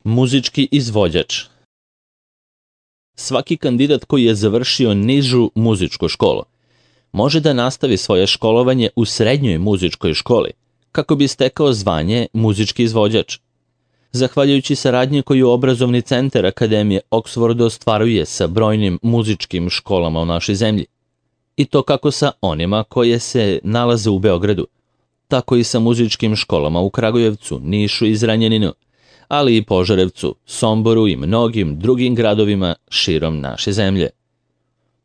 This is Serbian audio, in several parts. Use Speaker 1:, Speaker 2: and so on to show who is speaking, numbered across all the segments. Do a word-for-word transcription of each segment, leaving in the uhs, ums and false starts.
Speaker 1: Muzički izvođač. Svaki kandidat koji je završio nižu muzičku školu može da nastavi svoje školovanje u srednjoj muzičkoj školi kako bi stekao zvanje muzički izvođač. Zahvaljujući saradnji koju obrazovni centar Akademije Oxford ostvaruje sa brojnim muzičkim školama u našoj zemlji, i to kako sa onima koje se nalaze u Beogradu, tako i sa muzičkim školama u Kragujevcu, Nišu i Zrenjaninu, ali i Požarevcu, Somboru i mnogim drugim gradovima širom naše zemlje.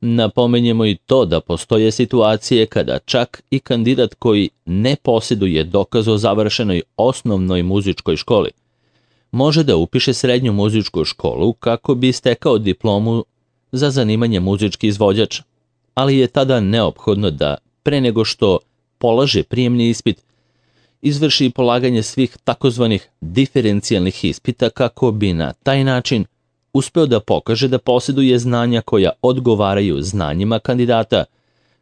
Speaker 1: Napomenjemo i to da postoje situacije kada čak i kandidat koji ne posjeduje dokaz o završenoj osnovnoj muzičkoj školi može da upiše srednju muzičku školu kako bi stekao diplomu za zanimanje muzički izvođač, ali je tada neophodno da pre nego što polaže prijemni ispit izvrši polaganje svih takozvanih diferencijalnih ispita kako bi na taj način uspeo da pokaže da posjeduje znanja koja odgovaraju znanjima kandidata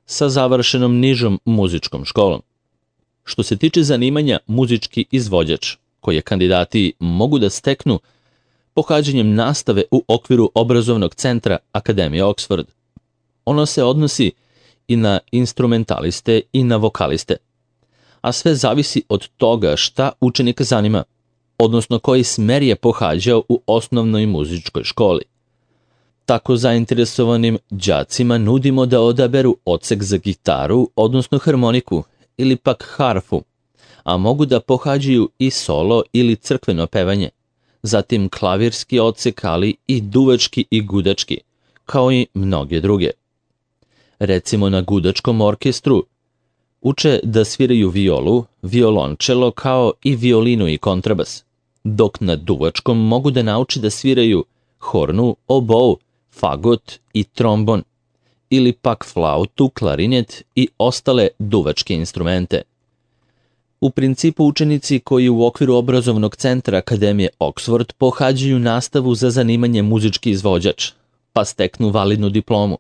Speaker 1: sa završenom nižom muzičkom školom. Što se tiče zanimanja muzički izvođač, koje kandidati mogu da steknu pohađanjem nastave u okviru obrazovnog centra Akademije Oxford, ono se odnosi i na instrumentaliste i na vokaliste, a sve zavisi od toga šta učenika zanima, odnosno koji smer je pohađao u osnovnoj muzičkoj školi. Tako zainteresovanim đacima nudimo da odaberu odsek za gitaru, odnosno harmoniku, ili pak harfu, a mogu da pohađaju i solo ili crkveno pevanje, zatim klavirski odsek, ali i duvački i gudački, kao i mnoge druge. Recimo na gudačkom orkestru uče da sviraju violu, violončelo kao i violinu i kontrabas, dok na duvačkom mogu da nauči da sviraju hornu, obou, fagot i trombon, ili pak flautu, klarinet i ostale duvačke instrumente. U principu učenici koji u okviru obrazovnog centra Akademije Oxford pohađaju nastavu za zanimanje muzički izvođač, pa steknu validnu diplomu,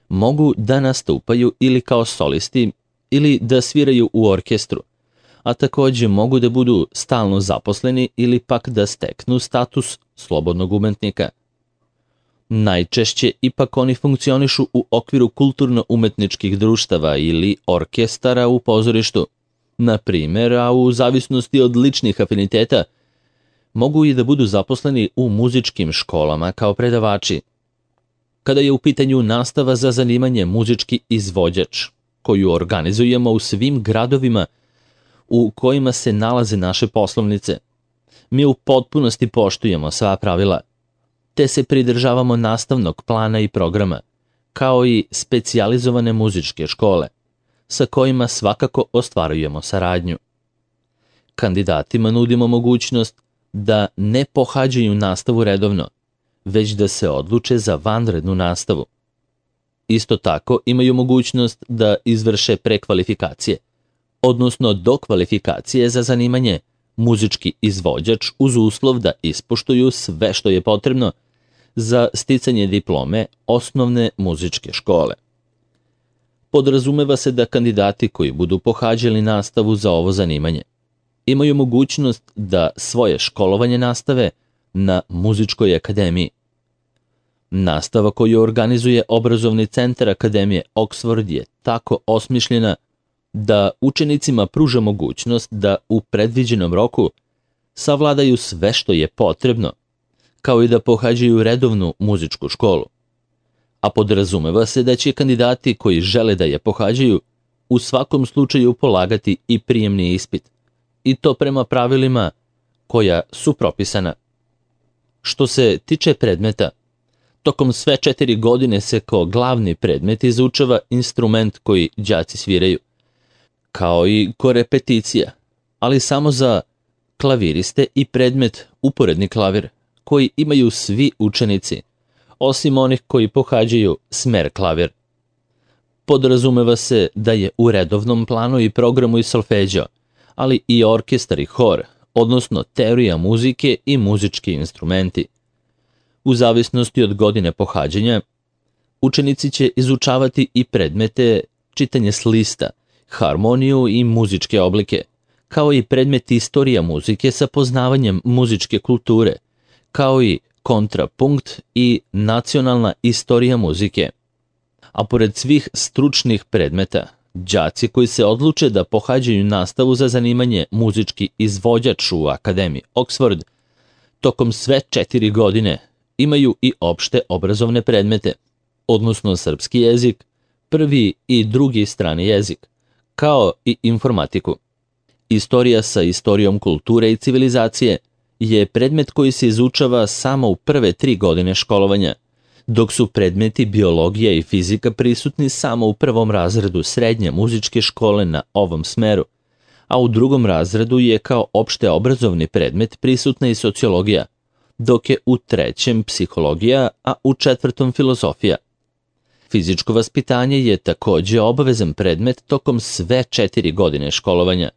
Speaker 1: mogu da nastupaju ili kao solisti ili da sviraju u orkestru, a takođe mogu da budu stalno zaposleni ili pak da steknu status slobodnog umetnika. Najčešće ipak oni funkcionišu u okviru kulturno-umetničkih društava ili orkestara u pozorištu, na primjer, a u zavisnosti od ličnih afiniteta mogu i da budu zaposleni u muzičkim školama kao predavači. Kada je u pitanju nastava za zanimanje muzički izvođač, koju organizujemo u svim gradovima u kojima se nalaze naše poslovnice, mi u potpunosti poštujemo sva pravila, te se pridržavamo nastavnog plana i programa, kao i specijalizovane muzičke škole, sa kojima svakako ostvarujemo saradnju. Kandidatima nudimo mogućnost da ne pohađaju nastavu redovno, već da se odluče za vanrednu nastavu. Isto tako imaju mogućnost da izvrše prekvalifikacije, odnosno dokvalifikacije za zanimanje muzički izvođač uz uslov da ispoštuju sve što je potrebno za sticanje diplome osnovne muzičke škole. Podrazumeva se da kandidati koji budu pohađali nastavu za ovo zanimanje imaju mogućnost da svoje školovanje nastave na muzičkoj akademiji. Nastava koju organizuje obrazovni centar Akademije Oxford je tako osmišljena da učenicima pruža mogućnost da u predviđenom roku savladaju sve što je potrebno, kao i da pohađaju redovnu muzičku školu. A podrazumeva se da će kandidati koji žele da je pohađaju u svakom slučaju polagati i prijemni ispit, i to prema pravilima koja su propisana. Što se tiče predmeta, tokom sve četiri godine se kao glavni predmet izučava instrument koji đaci sviraju, kao i korepeticija, ali samo za klaviriste i predmet uporedni klavir, koji imaju svi učenici, osim onih koji pohađaju smer klavir. Podrazumeva se da je u redovnom planu i programu i solfeđo, ali i orkestar i hor, odnosno teorija muzike i muzički instrumenti. U zavisnosti od godine pohađanja, učenici će izučavati i predmete čitanje s lista, harmoniju i muzičke oblike, kao i predmet istorija muzike sa poznavanjem muzičke kulture, kao i kontrapunkt i nacionalna istorija muzike. A pored svih stručnih predmeta, đaci koji se odluče da pohađaju nastavu za zanimanje muzički izvođač u Akademiji Oxford, tokom sve četiri godine imaju i opšte obrazovne predmete, odnosno srpski jezik, prvi i drugi strani jezik, kao i informatiku. Istorija sa istorijom kulture i civilizacije je predmet koji se izučava samo u prve tri godine školovanja, dok su predmeti biologija i fizika prisutni samo u prvom razredu srednje muzičke škole na ovom smeru, a u drugom razredu je kao opšte obrazovni predmet prisutna i sociologija, dok je u trećem psihologija, a u četvrtom filozofija. Fizičko vaspitanje je takođe obavezan predmet tokom sve četiri godine školovanja.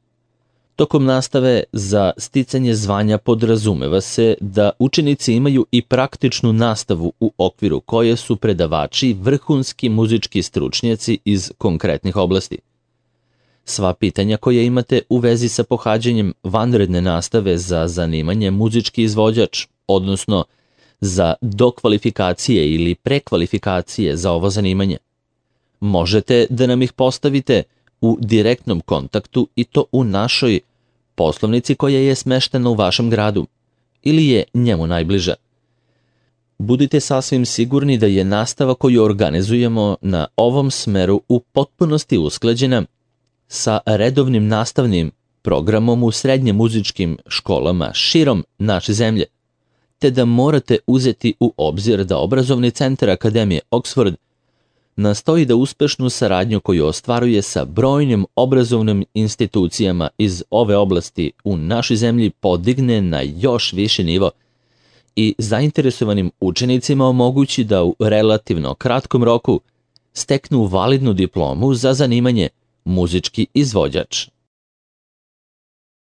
Speaker 1: Tokom nastave za sticanje zvanja podrazumeva se da učenici imaju i praktičnu nastavu u okviru koje su predavači vrhunski muzički stručnjaci iz konkretnih oblasti. Sva pitanja koje imate u vezi sa pohađanjem vanredne nastave za zanimanje muzički izvođač, odnosno za dokvalifikacije ili prekvalifikacije za ovo zanimanje, možete da nam ih postavite u direktnom kontaktu i to u našoj poslovnici koja je smeštena u vašem gradu ili je njemu najbliža. Budite sasvim sigurni da je nastava koju organizujemo na ovom smeru u potpunosti usklađena sa redovnim nastavnim programom u srednje muzičkim školama širom naše zemlje, te da morate uzeti u obzir da obrazovni centar Akademije Oxford nastoji da uspešnu saradnju koju ostvaruje sa brojnim obrazovnim institucijama iz ove oblasti u našoj zemlji podigne na još viši nivo i zainteresovanim učenicima omogući da u relativno kratkom roku steknu validnu diplomu za zanimanje muzički izvođač.